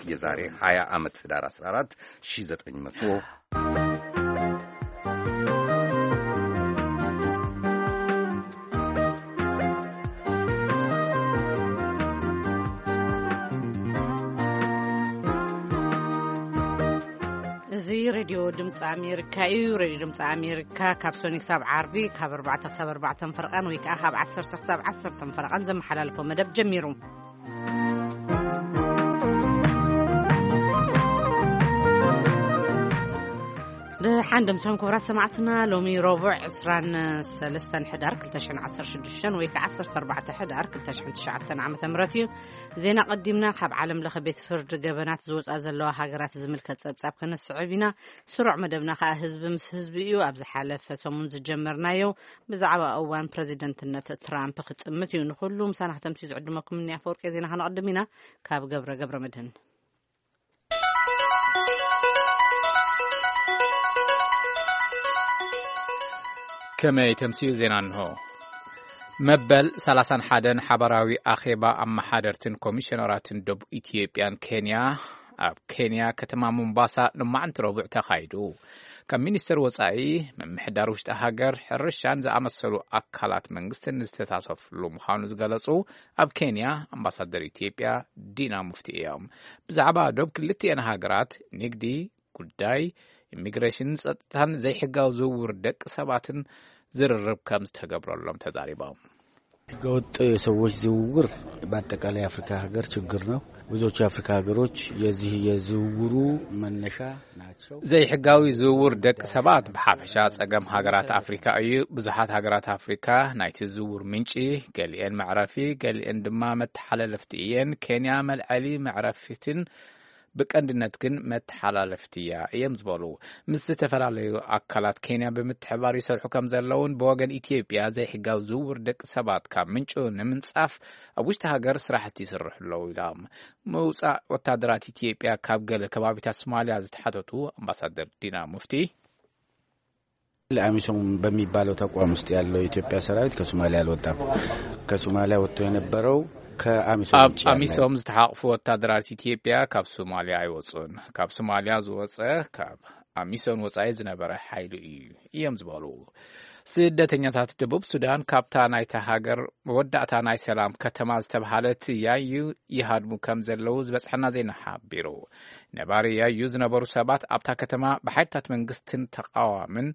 የዛሬ ሃያ ዓመት ህዳር አስራ አራት ሺህ ዘጠኝ መቶ። እዚ ሬድዮ ድምፂ ኣሜሪካ እዩ። ሬድዮ ድምፂ ኣሜሪካ ካብ ሶኒ ክሳብ ዓርቢ ካብ ኣርባዕተ ክሳብ ኣርባዕተ ፈረቓን ወይ ከዓ ካብ ዓሰርተ ክሳብ ዓሰርተ ፈረቓን ዘመሓላልፎ መደብ ጀሚሩ። ብሓንደምቶም ክቡራት ሰማዕትና፣ ሎሚ ረቡዕ ዕስራን ሰለስተን ሕዳር ክልተ ሽሕን ዓሰርተ ሽዱሽተን ወይ ከዓ ዓሰርተ ኣርባዕተ ሕዳር ክልተ ሽሕን ትሽዓተን ዓመተ ምህረት እዩ። ዜና ቀዲምና ካብ ዓለም ለኸ ቤት ፍርዲ ገበናት ዝወፃ ዘለዋ ሃገራት ዝምልከት ፀብፃብ ከነስዕብ ኢና። ስሩዕ መደብና ከዓ ህዝቢ ምስ ህዝቢ እዩ። ኣብ ዝሓለፈ ሰሙን ዝጀመርናዮ ብዛዕባ እዋን ፕረዚደንትነት ትራምፕ ክጥምት እዩ። ንኩሉ ምሳና ክተምሲ ዝዕድመኩም እኒ ኣፈወርቂ ዜና ከነቐድም ኢና። ካብ ገብረ ገብረ መድህን። ከመይ ተምስዩ ዜና እንሆ። መበል ሰላሳን ሓደን ሓባራዊ ኣኼባ ኣመሓደርትን ኮሚሽነራትን ደቡብ ኢትዮጵያን ኬንያ ኣብ ኬንያ ከተማ ሞምባሳ ሎማዕንቲ ረቡዕ ተኻይዱ። ካብ ሚኒስተር ወጻኢ፣ ምምሕዳር ውሽጢ ሃገር፣ ሕርሻን ዝኣመሰሉ ኣካላት መንግስትን ዝተሳተፍሉ ምዃኑ ዝገለጹ ኣብ ኬንያ ኣምባሳደር ኢትዮጵያ ዲና ሙፍቲ እዮም። ብዛዕባ ዶብ ክልቲኤን ሃገራት ንግዲ፣ ጉዳይ ኢሚግሬሽንን ጸጥታን ዘይሕጋዊ ዝውውር ደቂ ሰባትን ዝርርብ ከም ዝተገብረሎም ተዛሪቦም። ህገወጥ የሰዎች ዝውውር በአጠቃላይ የአፍሪካ ሀገር ችግር ነው። ብዙዎቹ የአፍሪካ ሀገሮች የዚህ የዝውውሩ መነሻ ናቸው። ዘይሕጋዊ ዝውውር ደቂ ሰባት ብሓፈሻ ጸገም ሃገራት ኣፍሪካ እዩ። ብዙሓት ሃገራት ኣፍሪካ ናይቲ ዝውውር ምንጪ፣ ገሊኤን መዕረፊ፣ ገሊኤን ድማ መተሓላለፍቲ እየን። ኬንያ መልዐሊ መዕረፊትን ብቀንድነት ግን መተሓላለፍቲ እያ እዮም ዝበሉ። ምስ ዝተፈላለዩ ኣካላት ኬንያ ብምትሕባር ይሰርሑ ከም ዘለውን ብወገን ኢትዮጵያ ዘይሕጋዊ ዝውውር ደቂ ሰባት ካብ ምንጩ ንምንጻፍ ኣብ ውሽጢ ሃገር ስራሕቲ ይስርሑ ኣለዉ ኢሎም። ምውጻእ ወታደራት ኢትዮጵያ ካብ ገለ ከባቢታት ሶማልያ ዝተሓተቱ ኣምባሳደር ዲና ሙፍቲ፣ አሚሶም በሚባለው ተቋም ውስጥ ያለው የኢትዮጵያ ሰራዊት ከሶማሊያ አልወጣም። ከሶማሊያ ወጥቶ የነበረው ከአሚሶም ኣብ ውጭ ያለ አሚሶም ዝተሓቕፉ ወታደራት ኢትዮጵያ ካብ ሶማልያ ኣይወፁን። ካብ ሶማልያ ዝወፀ ካብ ኣሚሶም ወፃኢ ዝነበረ ሓይሊ እዩ እዮም ዝበሉ። ስደተኛታት ደቡብ ሱዳን ካብታ ናይታ ሃገር መወዳእታ ናይ ሰላም ከተማ ዝተብሃለት ያዩ ይሃድሙ ከም ዘለዉ ዝበፅሐና ዜና ሓቢሩ። ነባሪ ያዩ ዝነበሩ ሰባት ኣብታ ከተማ ብሓይልታት መንግስትን ተቃዋምን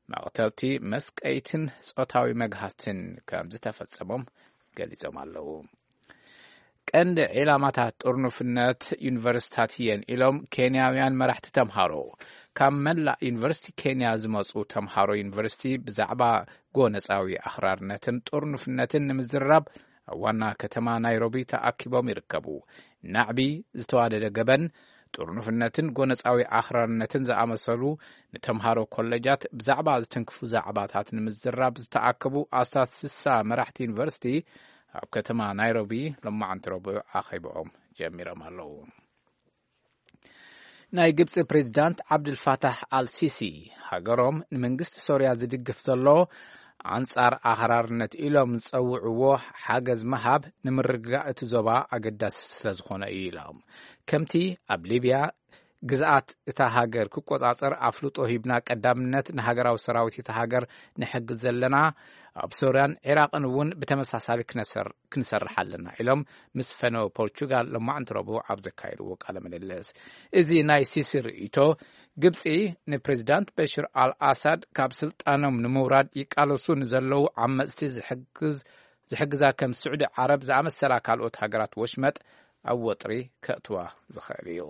መቕተልቲ፣ መስቀይትን ጾታዊ መግሃስትን ከም ዝተፈጸሞም ገሊጾም ኣለዉ። ቀንዲ ዒላማታት ጥርኑፍነት ዩኒቨርሲታት እየን ኢሎም ኬንያውያን መራሕቲ ተምሃሮ። ካብ መላእ ዩኒቨርሲቲ ኬንያ ዝመጹ ተምሃሮ ዩኒቨርሲቲ ብዛዕባ ጎነጻዊ ኣኽራርነትን ጥርኑፍነትን ንምዝራብ ኣብ ዋና ከተማ ናይሮቢ ተኣኪቦም ይርከቡ። ናዕቢ፣ ዝተዋደደ ገበን፣ ጥርኑፍነትን ጎነጻዊ ኣኽራርነትን ዝኣመሰሉ ንተምሃሮ ኮለጃት ብዛዕባ ዝትንክፉ ዛዕባታት ንምዝራብ ዝተኣከቡ ኣስታት ስሳ መራሕቲ ዩኒቨርሲቲ ኣብ ከተማ ናይሮቢ ሎማዓንቲ ረቡዕ ኣኼብኦም ጀሚሮም ኣለዉ። ናይ ግብጺ ፕሬዚዳንት ዓብዱልፋታሕ ኣልሲሲ ሃገሮም ንመንግስቲ ሶርያ ዝድግፍ ዘሎ ኣንጻር ኣኽራርነት ኢሎም ዝጸውዕዎ ሓገዝ ምሃብ ንምርግጋእ እቲ ዞባ ኣገዳሲ ስለ ዝኾነ እዩ ኢሎም። ከምቲ ኣብ ሊብያ ግዝኣት እታ ሃገር ክቆጻጸር ኣፍልጦ ሂብና ቀዳምነት ንሃገራዊ ሰራዊት እታ ሃገር ንሕግዝ ዘለና፣ ኣብ ሶርያን ዒራቕን እውን ብተመሳሳሊ ክነሰር-፣ ክንሰርሕ ኣለና ኢሎም ምስ ፈነወ ፖርቹጋል ሎማዕንቲ ረቡዕ ኣብ ዘካየድዎ ቃለ ምልልስ። እዚ ናይ ሲሲ ርእይቶ፣ ግብጺ ንፕሬዚዳንት በሽር ኣል ኣሳድ ካብ ስልጣኖም ንምውራድ ይቃለሱ ንዘለዉ ዓመጽቲ ዝሕግዝ-፣ ዝሕግዛ ከም ስዑዲ ዓረብ ዝኣመሰላ ካልኦት ሃገራት ወሽመጥ ኣብ ወጥሪ ከእትዋ ዝኽእል እዩ።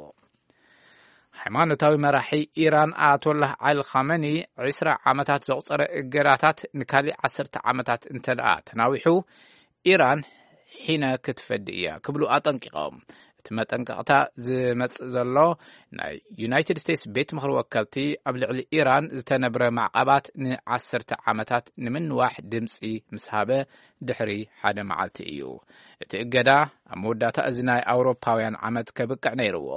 ሃይማኖታዊ መራሒ ኢራን ኣያቶላህ ዓሊ ኻመኒ ዕስራ ዓመታት ዘቑጸረ እገዳታት ንካሊእ ዓሰርተ ዓመታት እንተ ደኣ ተናዊሑ፣ ኢራን ሒነ ክትፈዲ እያ ክብሉ ኣጠንቂቖም። እቲ መጠንቀቕታ ዝመጽእ ዘሎ ናይ ዩናይትድ ስቴትስ ቤት ምኽሪ ወከልቲ ኣብ ልዕሊ ኢራን ዝተነብረ ማዕቐባት ንዓሰርተ ዓመታት ንምንዋሕ ድምጺ ምስ ሃበ ድሕሪ ሓደ መዓልቲ እዩ። እቲ እገዳ ኣብ መወዳእታ እዚ ናይ ኣውሮፓውያን ዓመት ከብቅዕ ነይርዎ።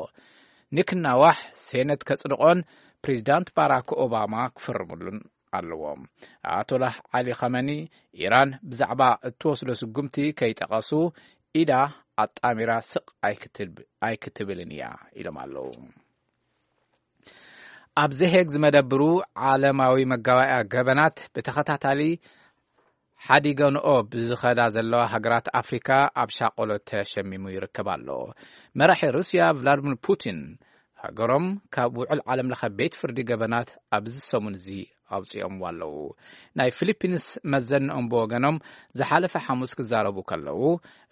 ንክናዋሕ ሴነት ከጽድቖን ፕሬዚዳንት ባራክ ኦባማ ክፍርምሉን ኣለዎም። ኣያቶላህ ዓሊ ኻመኒ ኢራን ብዛዕባ እትወስዶ ስጉምቲ ከይጠቐሱ፣ ኢዳ ኣጣሚራ ስቕ ኣይክትብ-፣ ኣይክትብልን እያ ኢሎም ኣለዉ። ኣብ ዘሄግ ዝመደብሩ ዓለማዊ መጋባእያ ገበናት ብተኸታታሊ ሓዲገንኦ ብዝኸዳ ዘለዋ ሃገራት ኣፍሪካ ኣብ ሻቆሎ ተሸሚሙ ይርከብ ኣሎ። መራሒ ሩስያ ቭላድሚር ፑቲን ሃገሮም ካብ ውዕል ዓለም ለኸ ቤት ፍርዲ ገበናት ኣብዚ ሰሙን እዚ ኣውፂኦምዎ ኣለዉ። ናይ ፊሊፒንስ መዘንኦም ብወገኖም ዝሓለፈ ሓሙስ ክዛረቡ ከለዉ፣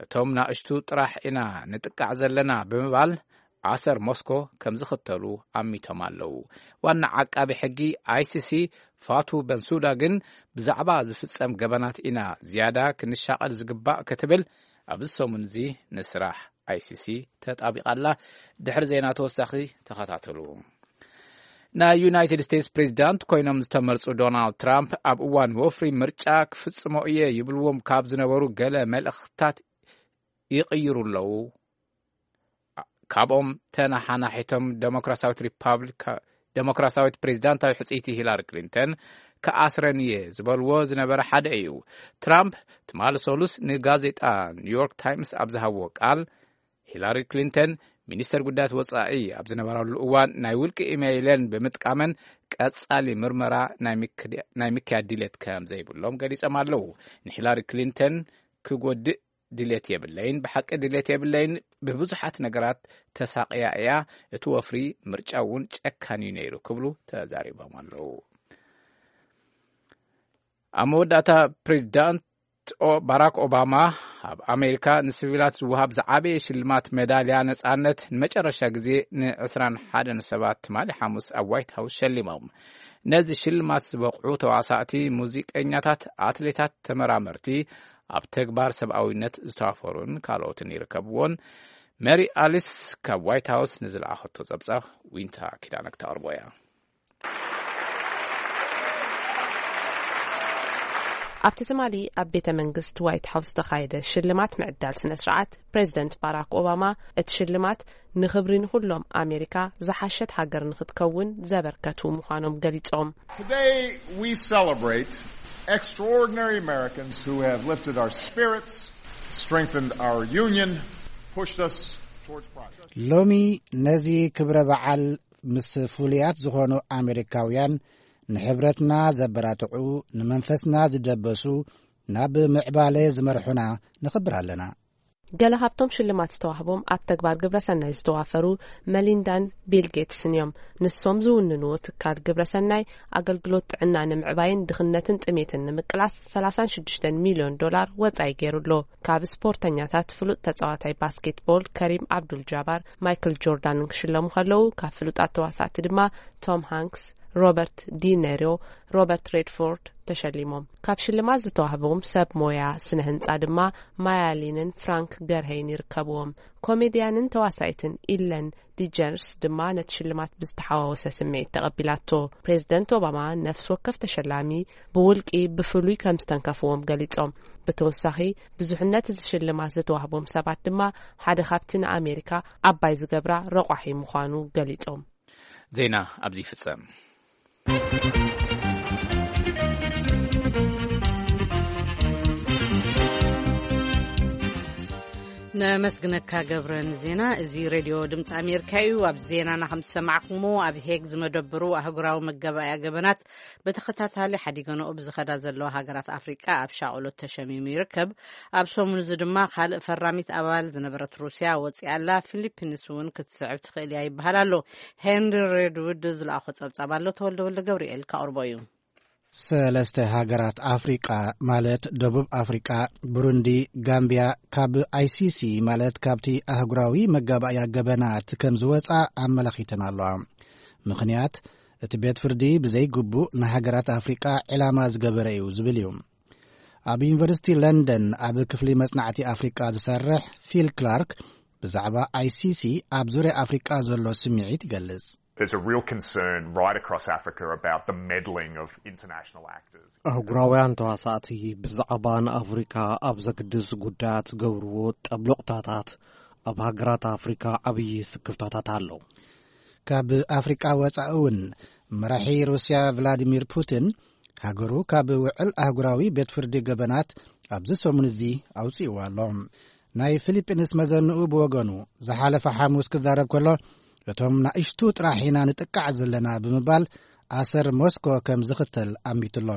እቶም ናእሽቱ ጥራሕ ኢና ንጥቃዕ ዘለና ብምባል ኣሰር ሞስኮ ከም ዝኽተሉ ኣሚቶም ኣለዉ። ዋና ዓቃቢ ሕጊ ኣይሲሲ ፋቱ በንሱዳ ግን ብዛዕባ ዝፍጸም ገበናት ኢና ዝያዳ ክንሻቐል ዝግባእ ክትብል ኣብዚ ሰሙን እዚ ንስራሕ ኣይሲሲ ተጣቢቓ ኣላ። ድሕሪ ዜና ተወሳኺ ተኸታተሉ። ናይ ዩናይትድ ስቴትስ ፕሬዚዳንት ኮይኖም ዝተመርጹ ዶናልድ ትራምፕ ኣብ እዋን ወፍሪ ምርጫ ክፍጽሞ እየ ይብልዎም ካብ ዝነበሩ ገለ መልእኽትታት ይቕይሩ ኣለዉ። ካብኦም ተነሓናሒቶም ደሞክራሲያዊት ሪፓብሊካ-፣ ደሞክራሲያዊት ፕሬዚዳንታዊ ሕጽይቲ ሂላሪ ክሊንተን ክኣስረን እየ ዝበልዎ ዝነበረ ሓደ እዩ። ትራምፕ ትማሊ ሰሉስ ንጋዜጣ ኒውዮርክ ታይምስ ኣብ ዝሃብዎ ቃል፣ ሂላሪ ክሊንተን ሚኒስተር ጉዳያት ወጻኢ ኣብ ዝነበራሉ እዋን ናይ ውልቂ ኢሜይለን ብምጥቃመን ቀጻሊ ምርመራ ናይ ምክድ-፣ ናይ ምክያድ ድሌት ከም ዘይብሎም ገሊጾም ኣለዉ። ንሂላሪ ክሊንተን ክጎድእ ድሌት የብለይን፣ ብሓቂ ድሌት የብለይን፣ ብብዙሓት ነገራት ተሳቕያ እያ፣ እቲ ወፍሪ ምርጫ እውን ጨካን እዩ ነይሩ ክብሉ ተዛሪቦም ኣለዉ። ኣብ መወዳእታ ፕሬዚዳንት ኦ-፣ ባራክ ኦባማ ኣብ ኣሜሪካ ንሲቪላት ዝወሃብ ዝዓበየ ሽልማት ሜዳልያ ነጻነት ንመጨረሻ ግዜ ን21 ሰባት ትማሊ ሓሙስ ኣብ ዋይት ሃውስ ሸሊሞም። ነዚ ሽልማት ዝበቕዑ ተዋሳእቲ፣ ሙዚቀኛታት፣ ኣትሌታት፣ ተመራመርቲ፣ ኣብ ተግባር ሰብኣዊነት ዝተዋፈሩን ካልኦትን ይርከብዎን። ሜሪ ኣሊስ ካብ ዋይት ሃውስ ንዝለኣኸቶ ጸብጻብ ዊንታ ኪዳነ ክተቕርቦ እያ። ኣብቲ ትማሊ ኣብ ቤተ መንግስት ዋይት ሃውስ ዝተኻየደ ሽልማት ምዕዳል ስነ ስርዓት፣ ፕሬዚደንት ባራክ ኦባማ እቲ ሽልማት ንኽብሪ ንኹሎም ኣሜሪካ ዝሓሸት ሃገር ንኽትከውን ዘበርከቱ ምዃኖም ገሊጾም። Today we celebrate extraordinary Americans who have lifted our spirits, strengthened our union, pushed us towards progress. ሎሚ ነዚ ክብረ በዓል ምስ ፍሉያት ዝኾኑ ኣሜሪካውያን ንሕብረትና ዘበራትዑ፣ ንመንፈስና ዝደበሱ፣ ናብ ምዕባለ ዝመርሑና ነኽብር ኣለና። ገለ ካብቶም ሽልማት ዝተዋህቦም ኣብ ተግባር ግብረሰናይ ዝተዋፈሩ መሊንዳን ቢል ጌትስን እዮም። ንሶም ዝውንንዎ ትካል ግብረሰናይ ኣገልግሎት ጥዕና ንምዕባይን ድኽነትን ጥሜትን ንምቅላስ 36 ሚልዮን ዶላር ወጻኢ ገይሩ ኣሎ። ካብ ስፖርተኛታት ፍሉጥ ተጻዋታይ ባስኬትቦል ከሪም ኣብዱል ጃባር፣ ማይክል ጆርዳንን ክሽለሙ ከለዉ፣ ካብ ፍሉጣት ተዋሳእቲ ድማ ቶም ሃንክስ፣ ሮበርት ዲ ኔሮ፣ ሮበርት ሬድፎርድ ተሸሊሞም። ካብ ሽልማት ዝተዋህቦም ሰብ ሞያ ስነ ህንጻ ድማ ማያሊንን ፍራንክ ገርሄይን ይርከብዎም። ኮሜድያንን ተዋሳይትን ኢለን ዲጀንርስ ድማ ነቲ ሽልማት ብዝተሓዋወሰ ስምዒት ተቐቢላቶ። ፕሬዚደንት ኦባማ ነፍሲ ወከፍ ተሸላሚ ብውልቂ ብፍሉይ ከም ዝተንከፍዎም ገሊጾም። ብተወሳኺ ብዙሕነት እዚ ሽልማት ዝተዋህቦም ሰባት ድማ ሓደ ካብቲ ንኣሜሪካ ዓባይ ዝገብራ ረቋሒ ምዃኑ ገሊጾም። ዜና ኣብዚ ይፍጸም። ነመስግነካ ገብረ ንዜና። እዚ ሬድዮ ድምፂ ኣሜሪካ እዩ። ኣብ ዜናና ከም ዝሰማዕኩሞ፣ ኣብ ሄግ ዝመደብሩ ኣህጉራዊ መገባእያ ገበናት ብተኸታታሊ ሓዲገንኦ ብዝኸዳ ዘለዋ ሃገራት ኣፍሪቃ ኣብ ሻቕሎት ተሸሚሙ ይርከብ። ኣብ ሰሙን እዚ ድማ ካልእ ፈራሚት ኣባል ዝነበረት ሩስያ ወፂኣ ኣላ። ፊሊፒንስ እውን ክትስዕብ ትኽእል እያ ይበሃል ኣሎ። ሄንሪ ሬድውድ ዝለኣኾ ጸብጻብ ኣሎ። ተወልደ ወልደ ገብርኤል ከቕርቦ እዩ። ሰለስተ ሃገራት ኣፍሪቃ፣ ማለት ደቡብ ኣፍሪቃ፣ ብሩንዲ፣ ጋምቢያ፣ ካብ ኣይሲሲ፣ ማለት ካብቲ ኣህጉራዊ መጋባእያ ገበናት ከም ዝወጻ ኣመላኺተን ኣለዋ። ምኽንያት፣ እቲ ቤት ፍርዲ ብዘይግቡእ ንሃገራት ኣፍሪቃ ዕላማ ዝገበረ እዩ ዝብል እዩ። ኣብ ዩኒቨርሲቲ ለንደን ኣብ ክፍሊ መጽናዕቲ ኣፍሪቃ ዝሰርሕ ፊል ክላርክ ብዛዕባ ኣይሲሲ ኣብ ዙርያ ኣፍሪቃ ዘሎ ስምዒት ይገልጽ። There's a real concern right across Africa about the meddling of international actors. ኣህጉራውያን ተዋሳእቲ ብዛዕባ ንኣፍሪካ ኣብ ዘግድስ ጉዳያት ዝገብርዎ ጠብሎቕታታት ኣብ ሃገራት ኣፍሪካ ዓብዪ ስክፍታታት ኣሎ። ካብ ኣፍሪቃ ወጻኢ እውን መራሒ ሩስያ ቭላዲሚር ፑቲን ሃገሩ ካብ ውዕል ኣህጉራዊ ቤት ፍርዲ ገበናት ኣብዚ ሰሙን እዚ ኣውጺእዋ ኣሎ። ናይ ፊሊፒንስ መዘንኡ ብወገኑ፣ ዝሓለፈ ሓሙስ ክዛረብ ከሎ፣ እቶም ናእሽቱ ጥራሕ ኢና ንጥቃዕ ዘለና ብምባል፣ ኣሰር ሞስኮ ከም ዝኽተል ኣሚትሎ።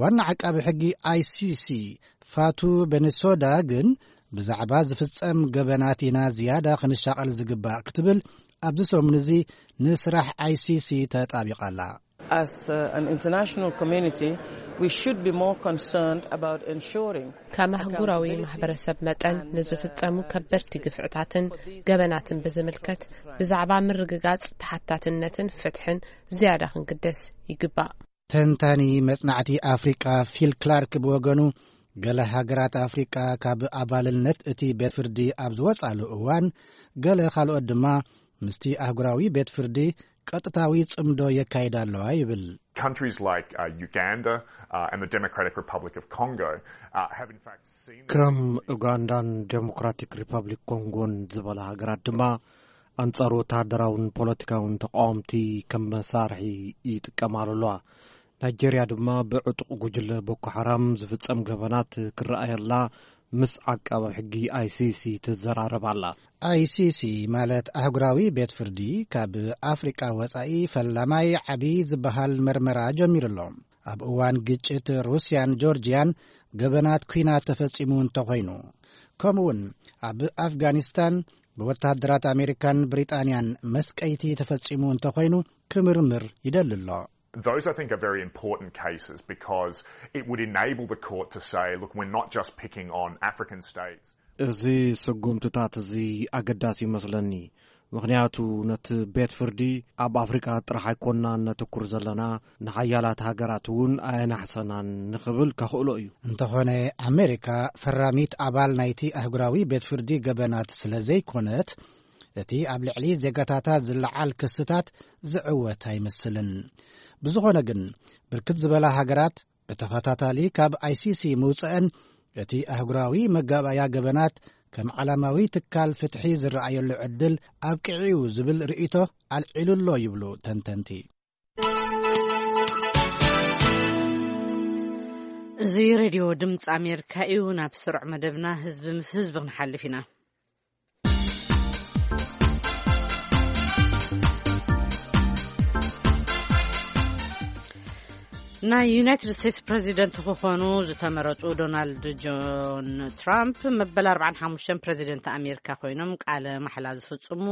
ዋና ዓቃቢ ሕጊ ኣይሲሲ ፋቱ በንሶዳ ግን፣ ብዛዕባ ዝፍጸም ገበናት ኢና ዝያዳ ክንሻቐል ዝግባእ ክትብል፣ ኣብዚ ሰሙን እዚ ንስራሕ ኣይሲሲ ተጣቢቓ ኣላ። As uh, an international community, we should be more concerned about ensuring ከም ኣህጉራዊ ማሕበረሰብ መጠን፣ ንዝፍጸሙ ከበድቲ ግፍዕታትን ገበናትን ብዝምልከት፣ ብዛዕባ ምርግጋጽ ተሓታትነትን ፍትሕን ዝያዳ ክንግደስ ይግባእ። ተንታኒ መጽናዕቲ ኣፍሪቃ ፊል ክላርክ ብወገኑ፣ ገለ ሃገራት ኣፍሪቃ ካብ ኣባልነት እቲ ቤት ፍርዲ ኣብ ዝወጻሉ እዋን፣ ገለ ካልኦት ድማ ምስቲ ኣህጉራዊ ቤት ፍርዲ ቀጥታዊ ጽምዶ የካይዳ ኣለዋ ይብል። Countries like uh, Uganda uh, and the Democratic Republic of Congo uh, have in fact seen ከም ኡጋንዳን ዴሞክራቲክ ሪፐብሊክ ኮንጎን ዝበላ ሃገራት ድማ፣ ኣንጻር ወተሃደራውን ፖለቲካውን ተቃወምቲ ከም መሳርሒ ይጥቀማሉ ኣለዋ። ናይጄርያ ድማ ብዕጡቕ ጉጅለ ቦኮ ሓራም ዝፍጸም ገበናት ክረኣየላ ምስ ዓቃቢ ሕጊ ኣይሲሲ ትዘራረብ ኣላ። ኣይሲሲ ማለት ኣህጉራዊ ቤት ፍርዲ፣ ካብ ኣፍሪቃ ወጻኢ ፈላማይ ዓቢ ዝበሃል መርመራ ጀሚሩ ኣሎ። ኣብ እዋን ግጭት ሩስያን ጆርጅያን ገበናት ኲናት ተፈጺሙ እንተኾይኑ፣ ከምኡውን ኣብ ኣፍጋኒስታን ብወተሃደራት ኣሜሪካን ብሪጣንያን መስቀይቲ ተፈጺሙ እንተኾይኑ፣ ክምርምር ይደሊ ኣሎ። Those, I think, are very important cases because it would enable the court to say, look, we're not just picking on African states. እዚ ስጉምትታት እዚ ኣገዳሲ ይመስለኒ፣ ምኽንያቱ ነቲ ቤት ፍርዲ ኣብ ኣፍሪቃ ጥራሕ ኣይኮንናን ነተኩር ዘለና፣ ንሓያላት ሃገራት እውን ኣየናሕሰናን ንኽብል ከኽእሎ እዩ። እንተኾነ፣ ኣሜሪካ ፈራሚት ኣባል ናይቲ ኣህጉራዊ ቤት ፍርዲ ገበናት ስለ ዘይኮነት፣ እቲ ኣብ ልዕሊ ዜጋታታ ዝለዓል ክስታት ዝዕወት ኣይመስልን። ብዝኾነ ግን፣ ብርክት ዝበላ ሃገራት ብተኸታታሊ ካብ ኣይሲሲ ምውጽአን፣ እቲ ኣህጉራዊ መጋባእያ ገበናት ከም ዓላማዊ ትካል ፍትሒ ዝረኣየሉ ዕድል ኣብቂዑ እዩ ዝብል ርእይቶ ኣልዒሉ ኣሎ ይብሉ ተንተንቲ። እዚ ሬድዮ ድምፂ ኣሜሪካ እዩ። ናብ ስሩዕ መደብና ህዝቢ ምስ ህዝቢ ክንሓልፍ ኢና። ናይ ዩናይትድ ስቴትስ ፕሬዚደንት ክኾኑ ዝተመረፁ ዶናልድ ጆን ትራምፕ መበል ኣርባዓን ሓሙሽተን ፕሬዚደንት ኣሜሪካ ኮይኖም ቃለ ማሕላ ዝፍፅሙ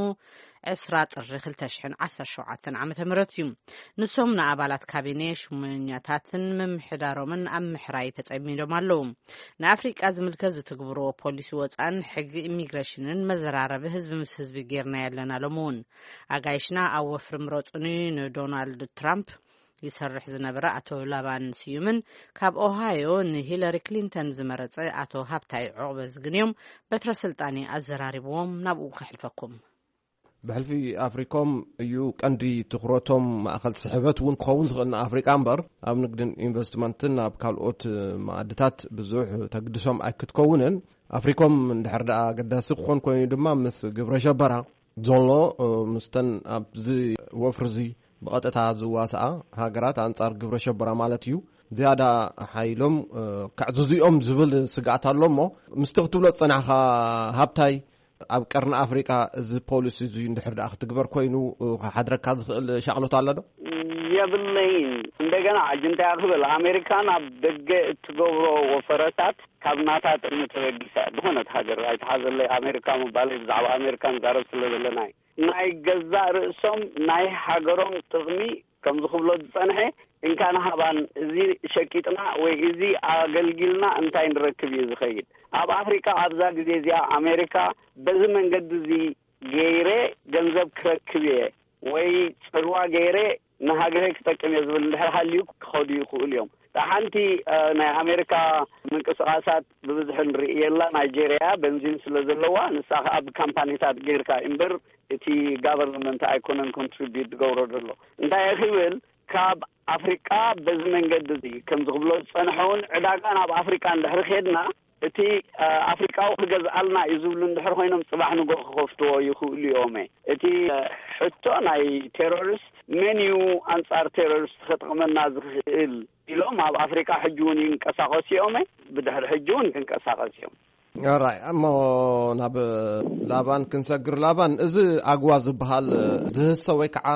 ዕስራ ጥሪ ክልተ ሽሕን ዓሰርተ ሸውዓተን ዓመተ ምህረት እዩ። ንሶም ንኣባላት ካቢኔ፣ ሹመኛታትን ምምሕዳሮምን ኣብ ምሕራይ ተጸሚዶም ኣለዉ። ንኣፍሪቃ ዝምልከት ዝትግብርዎ ፖሊሲ ወጻን ሕጊ ኢሚግሬሽንን መዘራረቢ ህዝቢ ምስ ህዝቢ ጌርና ኣለና። ሎም እውን ኣጋይሽና ኣብ ወፍሪ ምረጹኒ ንዶናልድ ትራምፕ ይሰርሕ ዝነበረ ኣቶ ላባን ስዩምን፣ ካብ ኦሃዮ ንሂለሪ ክሊንተን ዝመረጸ ኣቶ ሃብታይ ዑቕበ ዝግንዮም በትረ ስልጣን ኣዘራሪብዎም ናብኡ ከሕልፈኩም። ብሕልፊ ኣፍሪኮም እዩ ቀንዲ ትኹረቶም። ማእኸል ስሕበት እውን ክኸውን ዝኽእል ንኣፍሪቃ እምበር፣ ኣብ ንግድን ኢንቨስትመንትን ኣብ ካልኦት ማኣድታት ብዙሕ ተግድሶም ኣይክትከውንን። ኣፍሪኮም እንድሕር ደኣ ኣገዳሲ ክኾን ኮይኑ ድማ ምስ ግብረ ሸበራ ዘሎ፣ እ፣ ምስተን ኣብዚ ወፍሪ እዚ ብቐጥታ ዝዋስኣ ሃገራት ኣንጻር ግብረ ሸበራ ማለት እዩ፣ ዝያዳ ሓይሎም፣ እ፣ ከዕዝዙ እዮም ዝብል ስግኣት ኣሎ። እሞ ምስቲ ክትብሎ ዝጸናሕካ ሃብታይ፣ ኣብ ቀርኒ ኣፍሪቃ እዚ ፖሊሲ እዚ እንድሕር ደኣ ክትግበር ኮይኑ፣ እ፣ ክሓድረካ ዝኽእል ሻቕሎት ኣሎ ዶ? የብለይን። እንደገና ሕጂ እንታይ ክብል፣ ኣሜሪካ ናብ ደገ እትገብሮ ወፈረታት ካብ ናታ ጥቕሚ ተበጊሳ ዝኾነት ሃገር ኣይትሓዘለይ። ኣሜሪካ ምባለይ ብዛዕባ ኣሜሪካ ንዛረብ ስለ ዘለና እዩ። ናይ ገዛእ ርእሶም ናይ ሃገሮም ጥቕሚ ከምዚ ክብሎ ዝጸንሐ እንካን ሃባን፣ እዚ ሸቂጥና ወይ እዚ ኣገልጊልና እንታይ ንረክብ እዩ ዝኸይድ? ኣብ ኣፍሪቃ ኣብዛ ግዜ እዚኣ ኣሜሪካ በዚ መንገዲ እዚ ገይረ ገንዘብ ክረክብ እየ ወይ ጽልዋ ገይረ ንሃገረይ ክጠቅም እየ ዝብል እንድሕር ሃልዩ ክኸዱ ይኽእሉ እዮም። እታ ሓንቲ፣ እ፣ ናይ ኣሜሪካ ምንቅስቓሳት ብብዝሒ ንርኢ የላ። ናይጄርያ በንዚን ስለ ዘለዋ፣ ንሳ ኸኣ ብካምፓኒታት ገይርካ እምበር እቲ ጋቨርንመንት ኣይኮነን ኮንትሪቢዩት ዝገብሮ ዘሎ። እንታይ እየ ክብል፣ ካብ ኣፍሪቃ በዚ መንገዲ እዚ ከም ዝኽብሎ ዝጸንሐ እውን ዕዳጋ ናብ ኣፍሪቃ እንድሕሪ ኬድና፣ እቲ፣ እ፣ ኣፍሪቃዊ ክገዝኣልና እዩ ዝብሉ እንድሕር ኮይኖም፣ ጽባሕ ንጎ ክኸፍትዎ ይኽእሉ እዮም። እቲ፣ እ፣ ሕቶ ናይ ቴሮሪስት፣ መን እዩ ኣንጻር ቴሮሪስት ከጥቕመና ዝኽእል ኢሎም ኣብ ኣፍሪቃ ሕጂ እውን ይንቀሳቐሱ እዮም። ብድሕሪ ሕጂ እውን ክንቀሳቐስ እዮም። ራይ እሞ ናብ ላባን ክንሰግር። ላባን፣ እዚ ኣግዋ ዝበሃል ዝህሰ ወይ ከዓ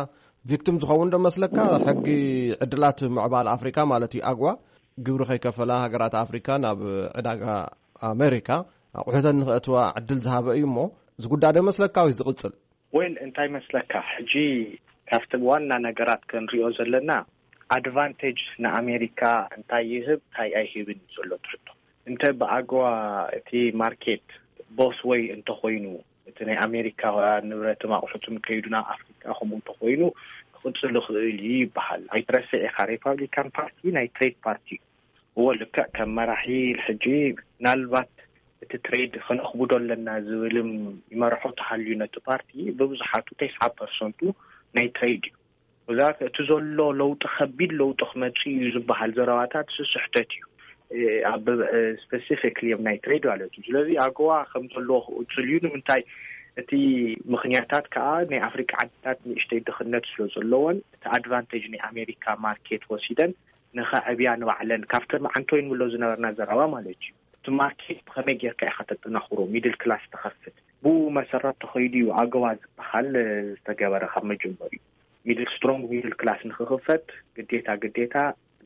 ቪክቲም ዝኸውን ዶ መስለካ? ሕጊ ዕድላት ምዕባል ኣፍሪካ ማለት እዩ። ኣግዋ ግብሪ ከይከፈላ ሃገራት ኣፍሪካ ናብ ዕዳጋ ኣሜሪካ ኣቑሑተን ንክእትዋ ዕድል ዝሃበ እዩ። እሞ ዝጉዳደ መስለካ ወይ ዝቕፅል? ወይል እንታይ መስለካ፣ ሕጂ ካብቲ ዋና ነገራት ክንሪኦ ዘለና፣ ኣድቫንቴጅ ንኣሜሪካ እንታይ ይህብ እንታይ ኣይህብን እዩ ዘሎ ትሕቶ። እንተ ብኣገዋ እቲ ማርኬት ቦስ ወይ እንተኮይኑ፣ እቲ ናይ ኣሜሪካ ንብረትን ኣቑሑትን ከይዱ ናብ ኣፍሪካ ከምኡ እንተኮይኑ ክቕፅል ይኽእል እዩ ይበሃል። ኣይትረስዕ ኢኻ፣ ሪፓብሊካን ፓርቲ ናይ ትሬድ ፓርቲ እዩ። እዎ፣ ልክዕ ከም መራሒ ሕጂ ምናልባት እቲ ትሬድ ከነኽብዶ ኣለና ዝብልም ይመርሖ ተሃልዩ ነቲ ፓርቲ፣ ብብዙሓቱ ተስዓ ፐርሰንቱ ናይ ትሬድ እዩ። ብዛት እቲ ዘሎ ለውጢ ከቢድ ለውጢ ክመፅእ እዩ ዝበሃል ዘረባታት ስስሕተት እዩ። ኣብ ስፔሲፊክሊ ኣብ ናይ ትሬድ ማለት እዩ። ስለዚ ኣገዋ ከም ዘለዎ ክቕፅል እዩ። ንምንታይ? እቲ ምክንያታት ከዓ ናይ ኣፍሪካ ዓድታት ንእሽተይ ድኽነት ስለ ዘለዎን እቲ ኣድቫንቴጅ ናይ ኣሜሪካ ማርኬት ወሲደን ንኸዕብያ ንባዕለን ካብተን መዓንቶይ ንብሎ ዝነበርና ዘረባ ማለት እዩ። እቲ ማርኬት ብኸመይ ጌርካ ኢኻ ተጠናኽሮ፣ ሚድል ክላስ ተኸፍት፣ ብኡ መሰረት ተኸይዱ እዩ ኣገዋ ዝበሃል ዝተገበረ። ካብ መጀመሪኡ ሚድል ስትሮንግ ሚድል ክላስ ንክኽፈት ግዴታ ግዴታ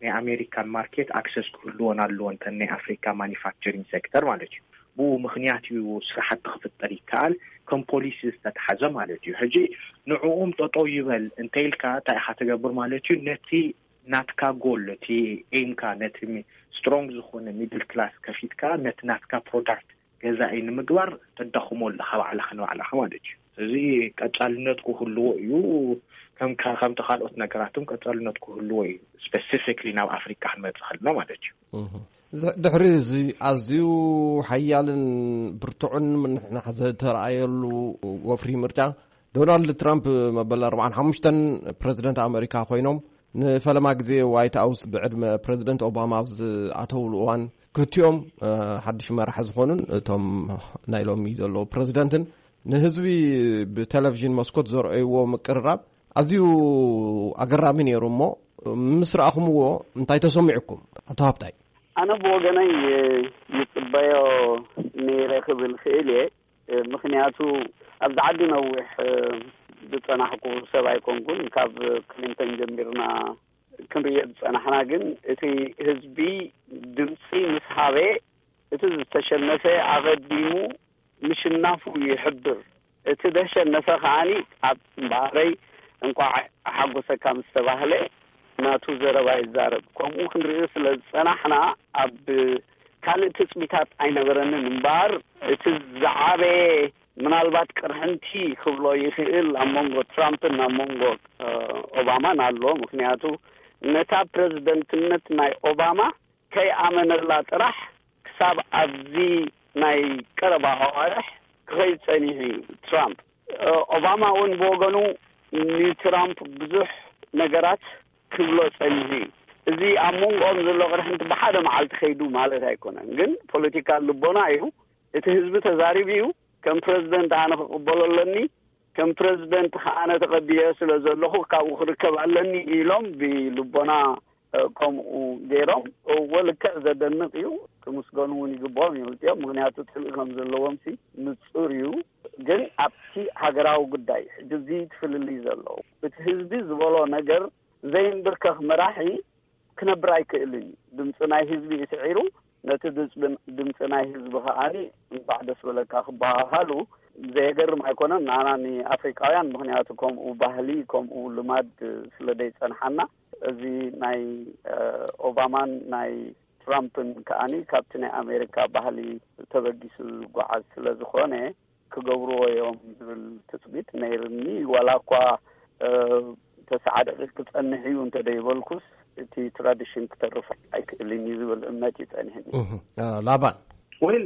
ናይ ኣሜሪካን ማርኬት ኣክሰስ ክህልዎን ኣለዎ እንተን ናይ ኣፍሪካ ማኒፋክቸሪንግ ሴክተር ማለት እዩ። ብኡ ምክንያት እዩ ስራሕቲ ክፍጠር ይከኣል ከም ፖሊሲ ዝተተሓዘ ማለት እዩ። ሕጂ ንዕኡም ጠጠው ይበል እንተኢልካ እንታይ ኢኻ ትገብር ማለት እዩ? ነቲ ናትካ ጎል፣ እቲ ኤምካ፣ ነቲ ስትሮንግ ዝኾነ ሚድል ክላስ ከፊትካ ነቲ ናትካ ፕሮዳክት ገዛኢ ንምግባር ተዳኽሞ ኣለኻ ባዕልኻ ንባዕልኻ ማለት እዩ። እዚ ቀጻልነት ክህልዎ እዩ። ከም ከምቲ ካልኦት ነገራትም ቀጻልነት ክህልዎ እዩ። ስፔሲፊክሊ ናብ ኣፍሪካ ክንመጽእ ከለና ማለት እዩ። ድሕሪ እዚ ኣዝዩ ሓያልን ብርቱዕን ምንሕናሕ ዝተረኣየሉ ወፍሪ ምርጫ፣ ዶናልድ ትራምፕ መበል ኣርባዓን ሓሙሽተን ፕረዚደንት ኣመሪካ ኮይኖም ንፈለማ ግዜ ዋይት ሃውስ ብዕድመ ፕረዚደንት ኦባማ ኣብ ዝኣተውሉ እዋን፣ ክልቲኦም ሓድሽ መራሒ ዝኾኑን እቶም ናይ ሎሚ ዘለዉ ፕረዚደንትን ንህዝቢ ብቴሌቪዥን መስኮት ዘርአይዎ ምቅርራብ ኣዝዩ ኣገራሚ ነይሩ። እሞ ምስ ረኣኹምዎ እንታይ ተሰሚዑኩም? ኣቶ ሃብታይ። ኣነ ብወገነይ ይጽበዮ ነይረ ክብል ክእል እየ። ምክንያቱ ኣብዚ ዓዲ ነዊሕ ዝጸናሕኩ ሰብ ኣይኮንኩን። ካብ ክሊንተን ጀሚርና ክንርእዮ ዝጸናሕና፣ ግን እቲ ህዝቢ ድምጺ ምስ ሃበ፣ እቲ ዝተሸነፈ ኣቐዲሙ ምሽናፉ ይሕብር። እቲ ደሸነፈ ከዓኒ ኣብ እምበኣረይ እንቋዕ ሓጎሰካ ምስ ተባህለ ናቱ ዘረባ ይዛረብ። ከምኡ ክንርእዮ ስለ ዝጸናሕና ኣብ ካልእ ትጽቢታት ኣይነበረንን እምበኣር፣ እቲ ዝዓበየ ምናልባት ቅርሕንቲ ክብሎ ይኽእል ኣብ መንጎ ትራምፕን ኣብ መንጎ ኦባማን ኣሎ። ምክንያቱ ነታ ፕረዚደንትነት ናይ ኦባማ ከይኣመነላ ጥራሕ ክሳብ ኣብዚ ናይ ቀረባ ኣዋርሕ ክኸይድ ጸኒሑ እዩ ትራምፕ። ኦባማ እውን ብወገኑ ንትራምፕ ብዙሕ ነገራት ክብሎ ጸኒሑ እዩ። እዚ ኣብ መንጎኦም ዘሎ ቅርሕንቲ ብሓደ መዓልቲ ከይዱ ማለት ኣይኮነን፣ ግን ፖለቲካ ልቦና እዩ። እቲ ህዝቢ ተዛሪቡ እዩ። ከም ፕረዚደንት ኣነ ክቕበሎ ኣለኒ፣ ከም ፕረዚደንት ከዓነ ተቐቢለ ስለ ዘለኹ ካብኡ ክርከብ ኣለኒ ኢሎም ብልቦና ከምኡ ገይሮም። እወ፣ ልክዕ ዘደንቕ እዩ። ክምስገኑ እውን ይግብኦም እዩ ክልቲኦም፣ ምክንያቱ ጽልኢ ከም ዘለዎም ሲ ንጹር እዩ። ግን ኣብቲ ሃገራዊ ጉዳይ ሕጂ እዚ ትፍልልይ ዘለዉ፣ እቲ ህዝቢ ዝበሎ ነገር ዘይንብርከኽ መራሒ ክነብር ኣይክእልን እዩ። ድምፂ ናይ ህዝቢ እዩ ስዒሩ፣ ነቲ ድምፂ ናይ ህዝቢ ከዓኒ እንኳዕ ደስ በለካ ክበሃሃሉ ዘየገርም ኣይኮነን ንዓና ንኣፍሪቃውያን፣ ምክንያቱ ከምኡ ባህሊ ከምኡ ልማድ ስለ ደይፀንሓና። እዚ ናይ ኦባማን ናይ ትራምፕን ከዓኒ ካብቲ ናይ ኣሜሪካ ባህሊ ተበጊሱ ዝጓዓዝ ስለ ዝኾነ ክገብርዎ እዮም ዝብል ትፅቢት ነይርኒ። ዋላ እኳ ተስዓ ደቂቅ ክፀንሕ እዩ እንተደይበልኩስ እቲ ትራዲሽን ክተርፍ ኣይክእልን እዩ ዝብል እምነት እዩ ፀኒሕኒ። ላባን ወይል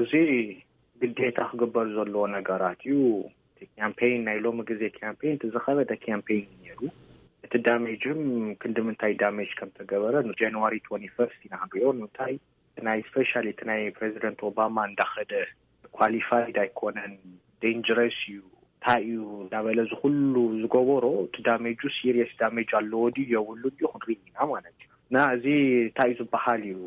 እዚ ግዴታ ክግበር ዘለዎ ነገራት እዩ። እቲ ካምፔይን ናይ ሎሚ ግዜ ካምፔይን እቲ ዝኸበደ ካምፔይን እዩ ነይሩ። እቲ ዳሜጅም ክንዲ ምንታይ ዳሜጅ ከም ተገበረ ጃንዋሪ ትወንቲ ፈርስት ኢና ክንሪኦ። ንምንታይ ናይ ስፔሻሊ እቲ ናይ ፕሬዚደንት ኦባማ እንዳኸደ ኳሊፋይድ ኣይኮነን፣ ዴንጀረስ እዩ፣ እንታይ እዩ እንዳበለ እዚ ኩሉ ዝገበሮ እቲ ዳሜጁ ሲሪየስ ዳሜጅ ኣለዎ ድዩ የብሉ ድዩ ክንርኢ ኢና ማለት እዩ። እና እዚ እንታይ እዩ ዝበሃል እዩ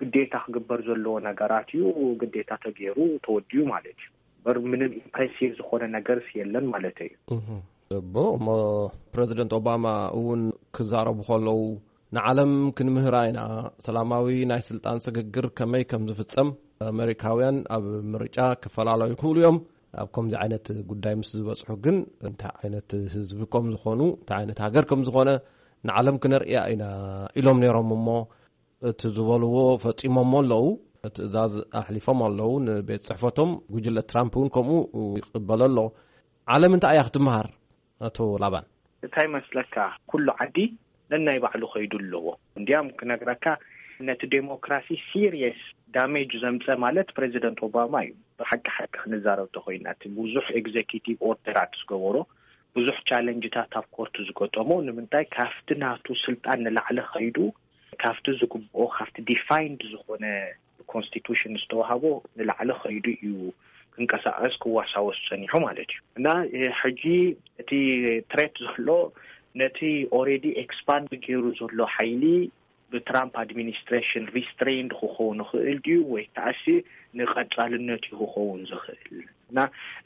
ግዴታ ክግበር ዘለዎ ነገራት እዩ። ግዴታ ተገይሩ ተወዲኡ ማለት እዩ። በር ምንም ኢምፕሬሲቭ ዝኾነ ነገርስ የለን ማለት እዩ። እቦ እሞ ፕሬዚደንት ኦባማ እውን ክዛረቡ ከለዉ ንዓለም ክንምህራ ኢና፣ ሰላማዊ ናይ ስልጣን ስግግር ከመይ ከም ዝፍጸም ኣመሪካውያን ኣብ ምርጫ ክፈላለዩ ይኽእሉ እዮም። ኣብ ከምዚ ዓይነት ጉዳይ ምስ ዝበጽሑ ግን እንታይ ዓይነት ህዝቢ ከም ዝኾኑ፣ እንታይ ዓይነት ሃገር ከም ዝኾነ ንዓለም ክነርእያ ኢና ኢሎም ነይሮም። እሞ እቲ ዝበልዎ ፈጺሞሞ ኣለዉ። ትእዛዝ ኣሕሊፎም ኣለዉ ንቤት ጽሕፈቶም። ጉጅለ ትራምፕ እውን ከምኡ ይቕበሎ ኣሎ። ዓለም እንታይ እያ ክትመሃር? ኣቶ ላባን። እንታይ መስለካ፣ ኩሉ ዓዲ ነናይ ባዕሉ ከይዱ ኣለዎ። እንዲያም ክነግረካ፣ ነቲ ዴሞክራሲ ሲሪየስ ዳሜጅ ዘምፀ ማለት ፕሬዚደንት ኦባማ እዩ። ብሓቂ ሓቂ ክንዛረብ ተኮይና፣ እቲ ብዙሕ ኤግዜኪቲቭ ኦርደራት ዝገበሮ፣ ብዙሕ ቻለንጅታት ኣብ ኮርት ዝገጠሞ፣ ንምንታይ ካብቲ ናቱ ስልጣን ንላዕሊ ከይዱ፣ ካብቲ ዝግብኦ፣ ካብቲ ዲፋይንድ ዝኾነ ኮንስቲቱሽን ዝተዋሃቦ ንላዕሊ ከይዱ እዩ ክንቀሳቀስ ክዋሳወስ ጸኒሑ ማለት እዩ። እና ሕጂ እቲ ትሬት ዘሎ ነቲ ኦሬዲ ኤክስፓንድ ገይሩ ዘሎ ሓይሊ ብትራምፕ ኣድሚኒስትሬሽን ሪስትሬንድ ክኸውን ይኽእል ድዩ ወይ ከኣሲ ንቐጻልነት እዩ ክኸውን ዝኽእል? እና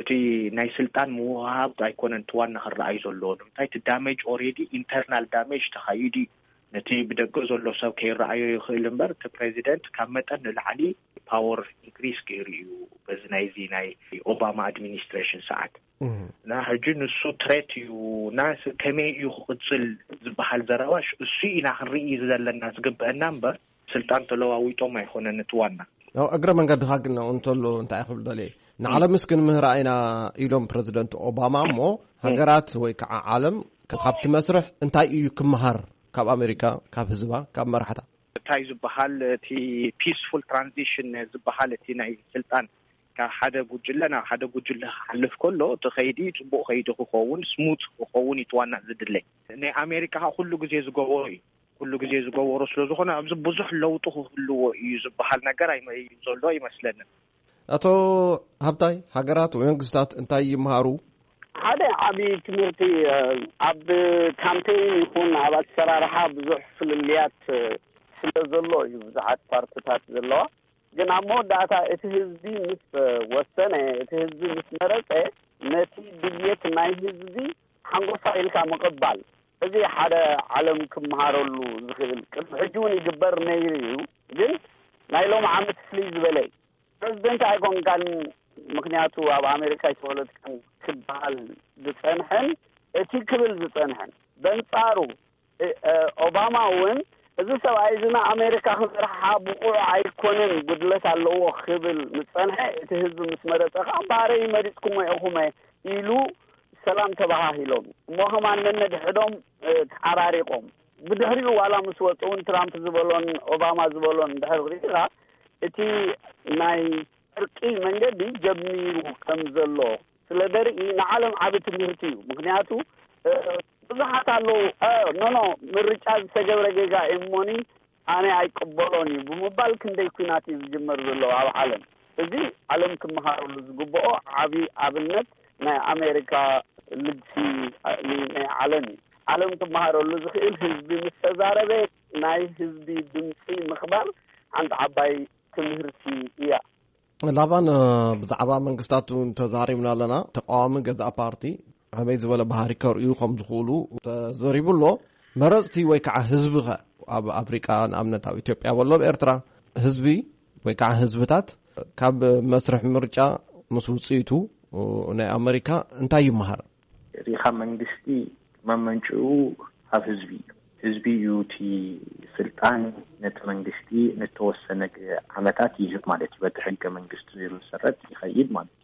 እቲ ናይ ስልጣን ምውሃብ ኣይኮነን እቲ ዋና ክረኣዩ ዘለዎ። ንምንታይ እቲ ዳሜጅ ኦሬዲ ኢንተርናል ዳሜጅ ተኻይዱ እዩ። ነቲ ብደገ ዘሎ ሰብ ከይረኣዮ ይኽእል እምበር፣ እቲ ፕሬዚደንት ካብ መጠን ንላዕሊ ፓወር ኢንክሪስ ገይሩ እዩ በዚ ናይዚ ናይ ኦባማ ኣድሚኒስትሬሽን ሰዓት። እና ሕጂ ንሱ ትሬት እዩ እና ስ-፣ ከመይ እዩ ክቕጽል ዝበሃል ዘረባሽ እሱ ኢና ክንርኢ ዘለና ዝግበአና እምበር፣ ስልጣን ተለዋዊጦም ኣይኮነን እቲ ዋና። ያው እግረ መንገድኻ ግን እንተሎ እንታይ ክብል ደልየ፣ ንዓለምስ ክንምህራ ኢና ኢሎም ፕረዚደንት ኦባማ። እሞ ሃገራት ወይ ከዓ ዓለም ካብቲ መስርሕ እንታይ እዩ ክመሃር? ካብ ኣሜሪካ፣ ካብ ህዝባ፣ ካብ መራሕታ? እንታይ ዝበሃል እቲ ፒስፉል ትራንዚሽን ዝበሃል፣ እቲ ናይ ስልጣን ካብ ሓደ ጉጅለ ናብ ሓደ ጉጅለ ክሓልፍ ከሎ እቲ ከይዲ ጽቡቕ ከይዲ ክኸውን፣ ስሙት ክኸውን እዩ እቲ ዋና ዝድለ። ናይ ኣሜሪካ ከዓ ኩሉ ግዜ ዝገበሮ እዩ። ኩሉ ግዜ ዝገበሮ ስለ ዝኾነ ኣብዚ ብዙሕ ለውጢ ክህልዎ እዩ ዝበሃል ነገር ኣይመ-፣ እዩ ዘሎ ኣይመስለንን። ኣቶ ሃብታይ፣ ሃገራት ወይ መንግስታት እንታይ ይምሃሩ? ሓደ ዓቢ ትምህርቲ፣ እ፣ ኣብ ካምፔይን ይኹን ኣብ ኣሰራርሓ ብዙሕ ፍልልያት፣ እ፣ ስለ ዘሎ እዩ ብዙሓት ፓርትታት ዘለዋ። ግን ኣብ መወዳእታ እቲ ህዝቢ ምስ ወሰነ፣ እቲ ህዝቢ ምስ መረጸ፣ ነቲ ድልየት ናይ ህዝቢ ሓንጎፋ ኢልካ ምቕባል፣ እዚ ሓደ ዓለም ክመሃረሉ ዝኽእል፣ ቅድሚ ሕጂ እውን ይግበር ነይሩ እዩ። ግን ናይ ሎሚ ዓመት ፍልይ ዝበለ እዩ። ፕረዚደንት ኣይኮንካን፣ ምኽንያቱ ኣብ ኣሜሪካ ኣይተወለድካን ክበሃል ዝጸንሐን እቲ ክብል ዝጸንሐን፣ በንጻሩ እ-፣ እ-፣ ኦባማ እውን፣ "እዚ ሰብኣይ እዚ ንኣሜሪካ ክመርሓ ብቑዕ ኣይኮነን፣ ጉድለት ኣለዎ" ክብል ዝጸንሐ፣ እቲ ህዝቢ ምስ መረጸ ከኣ፣ "እምበኣረይ መሪጽኩሞ ኢኹመ" ኢሉ ሰላም ተበሃሂሎም። እሞ ከማን ነነድሕዶም፣ እ፣ ተዓራሪቖም። ብድሕሪኡ ዋላ ምስ ወጹ እውን ትራምፕ ዝበሎን ኦባማ ዝበሎን እንድሕር ርኢኻ፣ እቲ ናይ ዕርቂ መንገዲ ጀሚሩ ከም ዘሎ ስለ ደርኢ ንዓለም ዓቢ ትምህርቲ እዩ። ምኽንያቱ፣ እ፣ ብዙሓት ኣለዉ፣ እ፣ ኖ፣ ኖ፣ ምርጫ ዝተገብረ ጌጋ እዩ እሞኒ ኣነ ኣይቅበሎን እዩ ብምባል ክንደይ ኲናት እዩ ዝጅመር ዘሎ ኣብ ዓለም። እዚ ዓለም ክመሃረሉ ዝግብኦ ዓቢ ኣብነት ናይ ኣሜሪካ ልግሲ፣ እ፣ ን-፣ ናይ ዓለም እዩ። ዓለም ክመሃረሉ ዝኽእል ህዝቢ ምስ ተዛረበ ናይ ህዝቢ ድምፂ ምኽባር ሓንቲ ዓባይ ትምህርቲ እያ። ላባን፣ እ፣ ብዛዕባ መንግስታት እውን ተዛሪብና ኣለና። ተቃዋሚ ገዛእ ፓርቲ ከመይ ዝበለ ባህሪ ከርእዩ ከም ዝኽእሉ ተዘሪቡ ኣሎ። መረጽቲ ወይ ከዓ ህዝቢ ኸ? ኣብ ኣፍሪቃ ንኣብነት ኣብ ኢትዮጵያ በሎ ኣብ ኤርትራ ህዝቢ ወይ ከዓ ህዝብታት ካብ መስርሕ ምርጫ ምስ ውጽኢቱ ናይ ኣመሪካ እንታይ ይመሃር? ሪኻ መንግስቲ መመንጭኡ ኣብ ህዝቢ እዩ። ህዝቢ እዩ እቲ ስልጣን ነቲ መንግስቲ ንተወሰነ ግ-፣ ዓመታት ይህብ ማለት እዩ። በቲ ሕገ መንግስቲ ዝመሰረት ይኸይድ ማለት እዩ።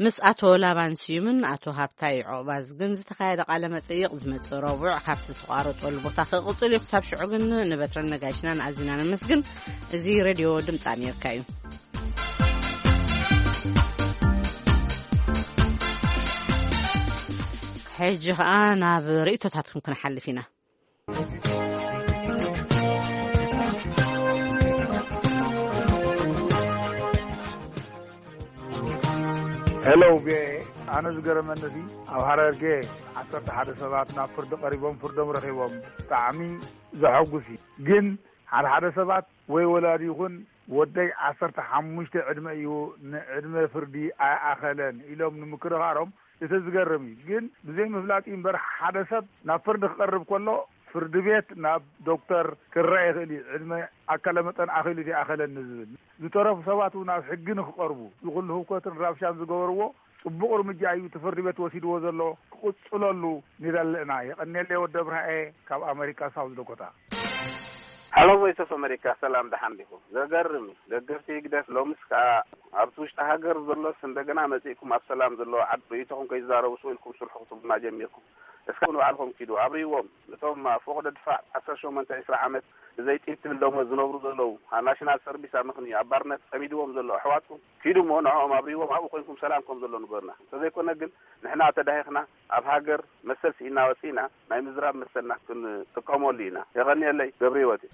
ምስ ኣቶ ላባን ስዩምን ኣቶ ሃብታይ ዑቕባዝግን ዝተኻየደ ቃለ መጠይቕ ዝመጽእ ረቡዕ ካብቲ ዝተቋረጸሉ ቦታ ክቕጽል እዩ። ክሳብ ሽዑ ግን ንበትረን ነጋይሽናን ኣዚና ነመስግን። እዚ ሬድዮ ድምፂ ኣሜሪካ እዩ። ሕጂ ኸኣ ናብ ርእይቶታትኩም ክንሓልፍ ኢና። ሄሎ፣ ቪኦኤ። ኣነ ዝገረመኒ፣ እዚ ኣብ ሃረርጌ ዓሰርተ ሓደ ሰባት ናብ ፍርዲ ቀሪቦም ፍርዶም ረኺቦም። ብጣዕሚ ዘሐጉስ እዩ። ግን ሓደ ሓደ ሰባት ወይ ወላዲ ይኹን ወደይ ዓሰርተ ሓሙሽተ ዕድመ እዩ፣ ንዕድመ ፍርዲ ኣይኣኸለን ኢሎም ንምክርኻሮም፣ እቲ ዝገርም እዩ። ግን ብዘይ ምፍላጥ እዩ እምበር፣ ሓደ ሰብ ናብ ፍርዲ ክቐርብ ከሎ፣ ፍርዲ ቤት ናብ ዶክተር ክረአ ይኽእል እዩ፣ ዕድመ ኣካለ መጠን ኣኺሉ ኣይኣኸለን ንዝብል። ዝተረፉ ሰባት እውን ናብ ሕጊ ንክቐርቡ፣ ዝኹሉ ህውከትን ራብሻን ዝገበርዎ ጽቡቕ እርምጃ እዩ እቲ ፍርዲ ቤት ወሲድዎ ዘሎ፣ ክቕጽለሉ ንደሊ ኢና። የቐንየለይ ወዲ ኣብርሃኤ ካብ ኣመሪካ ሳውዝ ዳኮታ። ሃሎ ቮይስ ኦፍ ኣሜሪካ፣ ሰላም፣ ደሓን ዲኹም? ዘገርም እዩ። ደገፍቲ ህግደፍ ሎምስ ከኣ ኣብቲ ውሽጢ ሃገር ዘሎስ እንደገና መጺእኩም ኣብ ሰላም ዘለዎ ዓዲ ርእይቶኹም ከይዛረቡ ስቕ ኢልኩም ስርሑ ክትብሉና ጀሚርኩም። እስከ ንባዕልኹም ኪዱ ኣብርይዎም። ነቶም ኣብ ፈቐዶ ድፋዕ ዓሰርተ ሸሞንተ ዒስራ ዓመት ብዘይ ጢብ ትብል ደሞዝ ዝነብሩ ዘለዉ፣ ኣብ ናሽናል ሰርቪስ ኣመኽንዩ ኣብ ባርነት ጸሚድዎም ዘሎ ኣሕዋትኩም ኪዱ እሞ ንዕኦም ኣብርይዎም፣ ኣብኡ ኮይንኩም ሰላም ከም ዘሎ ንገሩና። እንተዘይኮነ ግን ንሕና ተዳሂኽና ኣብ ሃገር መሰል ስኢና ወጺእና ናይ ምዝራብ መሰልና ክንጥቀመሉ ኢና። የቐንየለይ። ገብረ ህይወት እየ።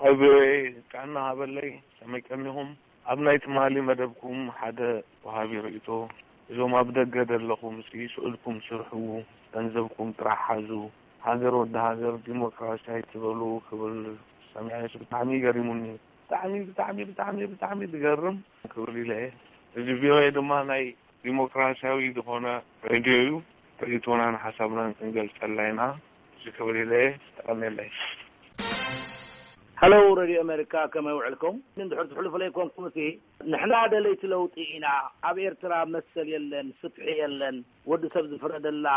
ኣብ ቪኦኤ ጥዕና ሃበለይ። ከመይ ቀኒኹም? ኣብ ናይ ትማሊ መደብኩም ሓደ ወሃቢ ርእይቶ፣ እዞም ኣብ ደገ ዘለኹም ሲ ስእልኩም ስርሑ፣ ገንዘብኩም ጥራሕ ሓዙ፣ ሃገር ወዲ ሃገር ዲሞክራሲ ኣይትበሉ ክብል ሰሚዐ፣ ብጣዕሚ ገሪሙኒ። ብጣዕሚ ብጣዕሚ ብጣዕሚ ብጣዕሚ ዝገርም ክብል ኢለ እየ። እዚ ቪኦኤ ድማ ናይ ዲሞክራሲያዊ ዝኾነ ሬድዮ እዩ። ርእይቶናን ሓሳብናን ክንገልጸላ ኢና። እዚ ክብል ኢለ እየ። ተቐንየለይ። ሃለው ሬድዮ ኣሜሪካ፣ ከመይ ውዕልኩም? እንድሕር ትሕልፉለይ ኮንኩም፣ እቲ ንሕና ደለይቲ ለውጢ ኢና፣ ኣብ ኤርትራ መሰል የለን፣ ፍትሒ የለን፣ ወዲ ሰብ ዝፍረደላ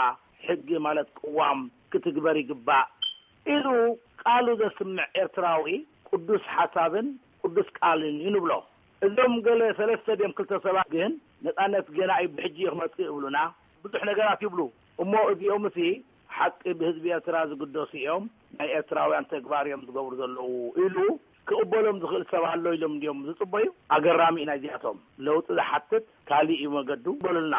ሕጊ ማለት ቅዋም ክትግበር ይግባእ ኢሉ ቃሉ ዘስምዕ ኤርትራዊ ቅዱስ ሓሳብን ቅዱስ ቃልን እዩ ንብሎ። እዞም ገለ ሰለስተ ድዮም ክልተ ሰባት ግን ነጻነት ገና እዩ ብሕጂ እዩ ክመጽእ ይብሉና። ብዙሕ ነገራት ይብሉ እሞ እዚኦም ሲ ሓቂ ብህዝቢ ኤርትራ ዝግደሱ እዮም፣ ናይ ኤርትራውያን ተግባር እዮም ዝገብሩ ዘለዉ ኢሉ ክቕበሎም ዝኽእል ሰብ ኣሎ ኢሎም ድዮም ዝጽበዩ? ኣገራሚ እዩ ናይዚኣቶም። ለውጢ ዝሓትት ካሊእ እዩ መገዱ በሉልና።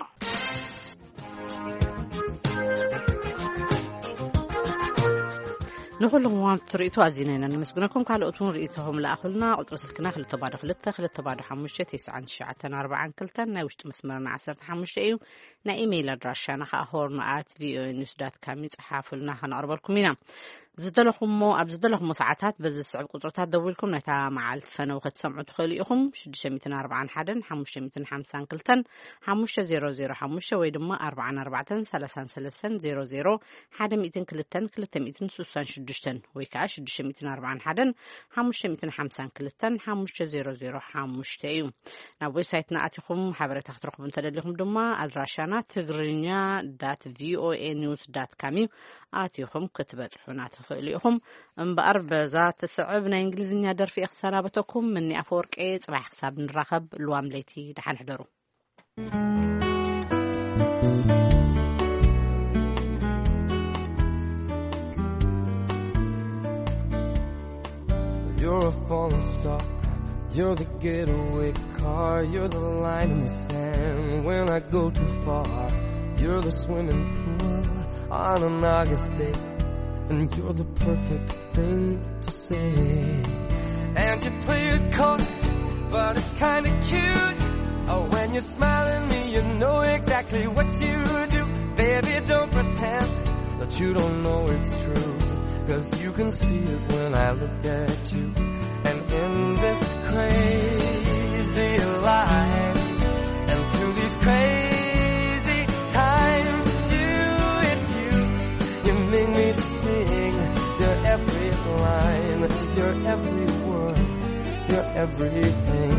ንኹልኹም ወሃብቲ ርእይቶ ኣዚና ኢና ነመስግነኩም። ካልኦት እውን ርእይቶኹም ለኣኹልና። ቁጽሪ ስልክና ክልተ ባዶ ክልተ ክልተ ባዶ ሓሙሽተ ተስዓን ትሽዓተን ኣርባዓን ክልተን፣ ናይ ውሽጢ መስመርና ዓሰርተ ሓሙሽተ እዩ። ናይ ኢሜይል ኣድራሻና ከዓ ሆርን ኣት ቪኦኤ ኒውስ ዳት ካም እዩ። ጸሓፉልና፣ ከነቕርበልኩም ኢና። ዝደለኹሞ ኣብ ዝደለኹሞ ሰዓታት በዚ ዝስዕብ ቁጽርታት ደዊልኩም ነታ መዓልቲ ፈነው ክትሰምዑ ትኽእሉ ኢኹም። ሽዱሽተ ሚእትን ኣርባዓን ሓደን ሓሙሽተ ሚእትን ሓምሳን ክልተን ሓሙሽተ ዜሮ ዜሮ ሓሙሽተ ወይ ድማ ኣርባዓን ኣርባዕተን ሰላሳን ሰለስተን ዜሮ ዜሮ ሓደ ሚእትን ክልተን ክልተ ሚእትን ስሳን ሽዱሽተን ወይ ከዓ ሽዱሽተ ሚእትን ኣርባዓን ሓደን ሓሙሽተ ሚእትን ሓምሳን ክልተን ሓሙሽተ ዜሮ ዜሮ ሓሙሽተ እዩ። ናብ ዌብሳይትና ኣቲኹም ሓበሬታ ክትረኽቡ እንተደሊኹም ድማ ኣድራሻና ትግርኛ ዳት ቪኦኤ ኒውስ ዳት ካም እዩ። ኣቲኹም ክትበጽሑና ትኽእሉ ኢኹም። እምበኣር በዛ ትስዕብ ናይ እንግሊዝኛ ደርፊ እየ ክሰናበተኩም። ምኒ ኣፈወርቄ፣ ጽባሕ ክሳብ ንራኸብ ልዋም ለይቲ ደሓን ሕደሩ። You're a falling star. You're the getaway car. You're the line in the sand when I go too far. You're the swimming pool on an August day. And you're the perfect thing to say. And you play it coy, but it's kinda cute. Oh, when you smile at me, you know exactly what you do. Baby, don't pretend that you don't know it's true. 'Cause you can see it when I look at you. And in this crazy life, and through these crazy times, you, it's you. You make me sing your every line, your every word, your everything.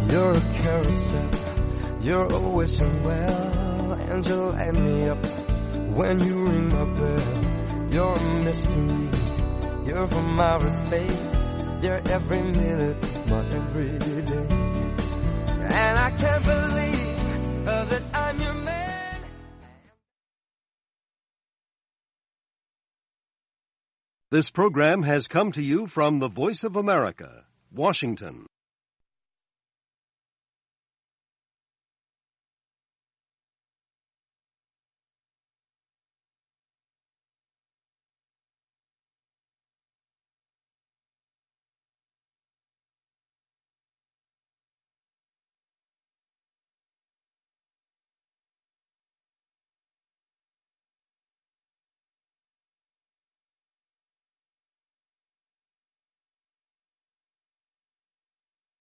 You're a carousel, you're always well, and you light me up when you ring my bell. You're a mystery, you're from outer space, you're every minute, my every day. And I can't believe uh, that I'm your man. This program has come to you from the Voice of America, Washington.